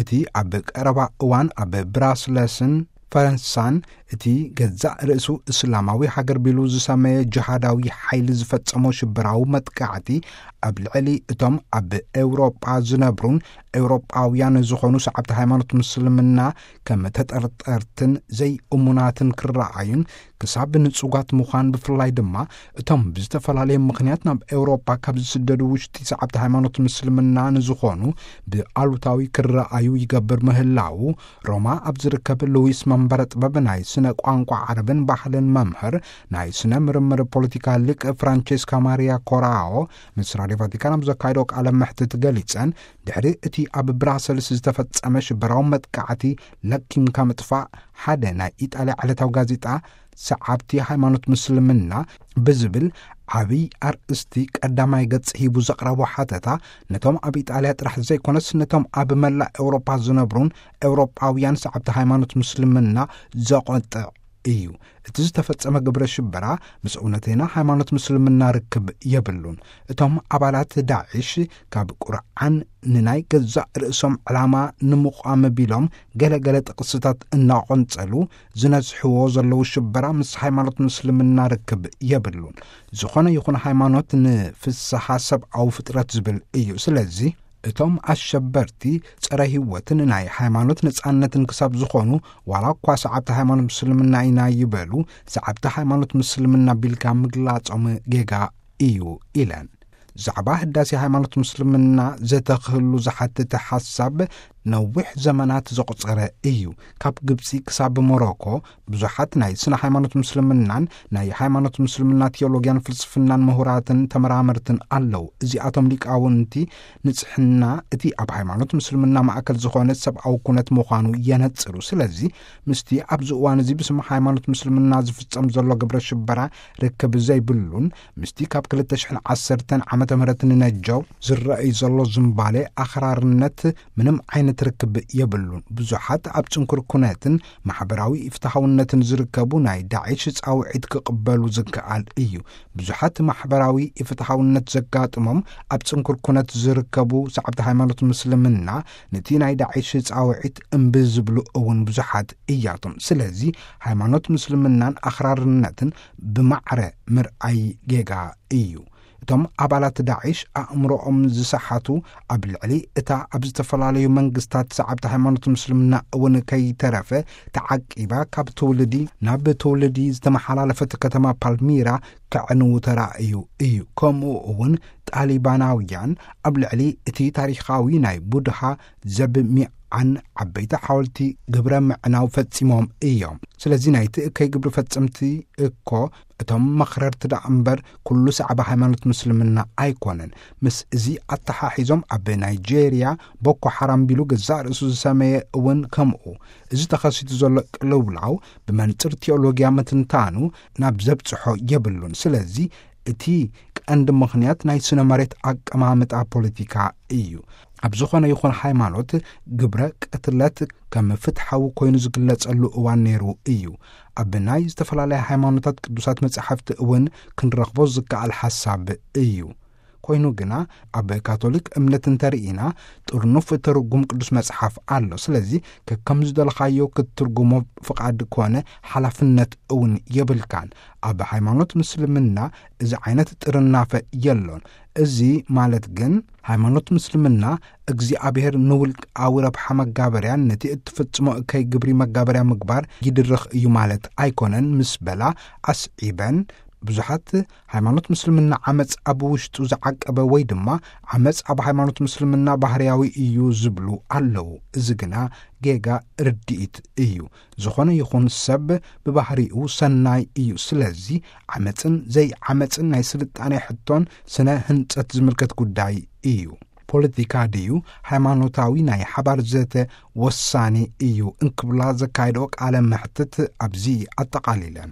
እቲ ኣብ ቀረባ እዋን ኣብ ብራስለስን ፈረንሳን እቲ ገዛእ ርእሱ እስላማዊ ሃገር ቢሉ ዝሰመየ ጅሃዳዊ ሓይሊ ዝፈጸሞ ሽበራዊ መጥቃዕቲ፣ ኣብ ልዕሊ እቶም ኣብ ኤውሮጳ ዝነብሩን ኤውሮጳውያን ዝኾኑ ሰዓብቲ ሃይማኖት ምስልምና ከም ተጠርጠርትን ዘይእሙናትን ክረኣዩን፣ ክሳብ ንጹጋት ምዃን፣ ብፍላይ ድማ እቶም ብዝተፈላለየ ምኽንያት ናብ ኤውሮጳ ካብ ዝስደዱ ውሽጢ ሰዓብቲ ሃይማኖት ምስልምና ንዝኾኑ ብኣሉታዊ ክረኣዩ ይገብር ምህላዉ፣ ሮማ ኣብ ዝርከብ ሉዊስ መንበረ ጥበብ ናይ ስነ ቋንቋ ዓረብን ባህልን መምህር ናይ ስነ ምርምር ፖለቲካ ሊቅ ፍራንቼስካ ማሪያ ኮራኦ ምስ ራድዮ ቫቲካን ኣብ ዘካየዶ ቃለ መሕትት ገሊጸን፣ ድሕሪ እቲ ኣብ ብራሰልስ ዝተፈጸመ ሽበራዊ መጥቃዕቲ ለኪምካ ምጥፋእ ሓደ ናይ ኢጣልያ ዕለታዊ ጋዜጣ ሰዓብቲ ሃይማኖት ምስልምና ብዝብል ዓብይ ኣርእስቲ ቀዳማይ ገጽ ሂቡ ዘቕረቦ ሓተታ፣ ነቶም ኣብ ኢጣልያ ጥራሕ ዘይኮነስ ነቶም ኣብ መላእ ኤውሮጳ ዝነብሩን ኤውሮጳውያን ሰዓብቲ ሃይማኖት ምስልምና ዘቖጥዕ እዩ። እቲ ዝተፈጸመ ግብረ ሽበራ ምስ እውነተይና ሃይማኖት ምስልምና ርክብ የብሉን። እቶም ኣባላት ዳዕሽ ካብ ቁርዓን ንናይ ገዛእ ርእሶም ዕላማ ንምቋም ቢሎም ገለ ገለ ጥቕስታት እናቖንጸሉ ዝነዝሕዎ ዘለዉ ሽበራ ምስ ሃይማኖት ምስልምና ርክብ የብሉን። ዝኾነ ይኹን ሃይማኖት ንፍስሓ ሰብኣዊ ፍጥረት ዝብል እዩ። ስለዚ እቶም ኣሸበርቲ ጸረ ህይወትን ናይ ሃይማኖት ነጻነትን ክሳብ ዝኾኑ፣ ዋላ እኳ ሰዓብቲ ሃይማኖት ምስልምና ኢና ይበሉ፣ ሰዓብቲ ሃይማኖት ምስልምና ቢልካ ምግላጾም ጌጋ እዩ ኢለን። ዛዕባ ህዳሴ ሃይማኖት ምስልምና ዘተኽህሉ ዝሓትት ሓሳብ ነዊሕ ዘመናት ዘቑጸረ እዩ። ካብ ግብጺ ክሳብ ሞሮኮ ብዙሓት ናይ ስነ ሃይማኖት ምስልምናን ናይ ሃይማኖት ምስልምና ቲዮሎጊያን ፍልስፍናን ምሁራትን ተመራመርትን ኣለዉ። እዚኣቶም ሊቃውንቲ ንጽሕና እቲ ኣብ ሃይማኖት ምስልምና ማእከል ዝኾነ ሰብኣዊ ኩነት ምዃኑ የነጽሩ። ስለዚ ምስቲ ኣብዚ እዋን እዚ ብስም ሃይማኖት ምስልምና ዝፍጸም ዘሎ ግብረ ሽበራ ርክብ ዘይብሉን ምስቲ ካብ ክልተ ሽሕን ዓሰርተን ዓመተ ምህረት ንነጀው ዝረኣይ ዘሎ ዝምባሌ ኣኽራርነት ምንም ዓይነት ርክብ የብሉን። ብዙሓት ኣብ ጽንኩር ኩነትን ማሕበራዊ ኢፍትሓውነትን ዝርከቡ ናይ ዳዒሽ ጻውዒት ክቕበሉ ዝከኣል እዩ። ብዙሓት ማሕበራዊ ኢፍትሓውነት ዘጋጥሞም ኣብ ጽንኩር ኩነት ዝርከቡ ሰዓብቲ ሃይማኖት ምስልምና ነቲ ናይ ዳዒሽ ጻውዒት እምቢ ዝብሉ እውን ብዙሓት እያቶም። ስለዚ ሃይማኖት ምስልምናን ኣኽራርነትን ብማዕረ ምርኣይ ጌጋ እዩ። እቶም ኣባላት ዳዒሽ ኣእምሮኦም ዝሰሓቱ፣ ኣብ ልዕሊ እታ ኣብ ዝተፈላለዩ መንግስታት ሰዓብቲ ሃይማኖት ምስልምና እውን ከይተረፈ ተዓቂባ ካብ ትውልዲ ናብ ትውልዲ ዝተመሓላለፈት ከተማ ፓልሚራ ከዕንዉ ተራእዩ እዩ። ከምኡ እውን ጣሊባናውያን ኣብ ልዕሊ እቲ ታሪኻዊ ናይ ቡድሃ ዘብሚዓን ዓበይቲ ሓወልቲ ግብረ ምዕናው ፈጺሞም እዮም። ስለዚ ናይቲ እከይ ግብሪ ፈጸምቲ እኮ እቶም መኽረርቲ ደኣ እምበር ኩሉ ሰዓቢ ሃይማኖት ምስልምና ኣይኮነን። ምስ እዚ ኣተሓሒዞም ኣብ ናይጄርያ ቦኮ ሓራም ቢሉ ገዛእ ርእሱ ዝሰመየ እውን ከምኡ። እዚ ተኸሲቱ ዘሎ ቅልውላው ብመንጽር ቲዮሎጊያ ምትንታኑ ናብ ዘብጽሖ የብሉን። ስለዚ እቲ ቀንዲ ምኽንያት ናይ ስነ መሬት ኣቀማምጣ ፖለቲካ እዩ። ኣብ ዝኾነ ይኹን ሃይማኖት ግብረ ቅትለት ከም ፍትሓዊ ኮይኑ ዝግለጸሉ እዋን ነይሩ እዩ። ኣብ ናይ ዝተፈላለያ ሃይማኖታት ቅዱሳት መጻሕፍቲ እውን ክንረኽቦ ዝከኣል ሓሳብ እዩ። ኮይኑ ግና ኣብ ካቶሊክ እምነት እንተርኢና ጥርኑፍ ትርጉም ቅዱስ መጽሓፍ ኣሎ። ስለዚ ከከም ዝደለኻዮ ክትትርጉሞ ፍቓድ ኮነ ሓላፍነት እውን የብልካን። ኣብ ሃይማኖት ምስልምና እዚ ዓይነት ጥርናፈ የሎን። እዚ ማለት ግን ሃይማኖት ምስልምና እግዚኣብሔር ንውልቃዊ ረብሓ መጋበርያን ነቲ እትፍጽሞ እከይ ግብሪ መጋበርያ ምግባር ይድርኽ እዩ ማለት ኣይኮነን ምስ በላ ኣስዒበን፣ ብዙሓት ሃይማኖት ምስልምና ዓመጽ ኣብ ውሽጡ ዝዓቀበ ወይ ድማ ዓመጽ ኣብ ሃይማኖት ምስልምና ባህርያዊ እዩ ዝብሉ ኣለዉ። እዚ ግና ጌጋ ርድኢት እዩ። ዝኾነ ይኹን ሰብ ብባህሪኡ ሰናይ እዩ። ስለዚ ዓመጽን ዘይዓመጽን ናይ ስልጣኔ ሕቶን ስነ ህንጸት ዝምልከት ጉዳይ እዩ። ፖለቲካ ድዩ ሃይማኖታዊ ናይ ሓባር ዘተ ወሳኒ እዩ እንክብላ ዘካየደኦ ቃለ መሕትት ኣብዚ ኣጠቓሊለን።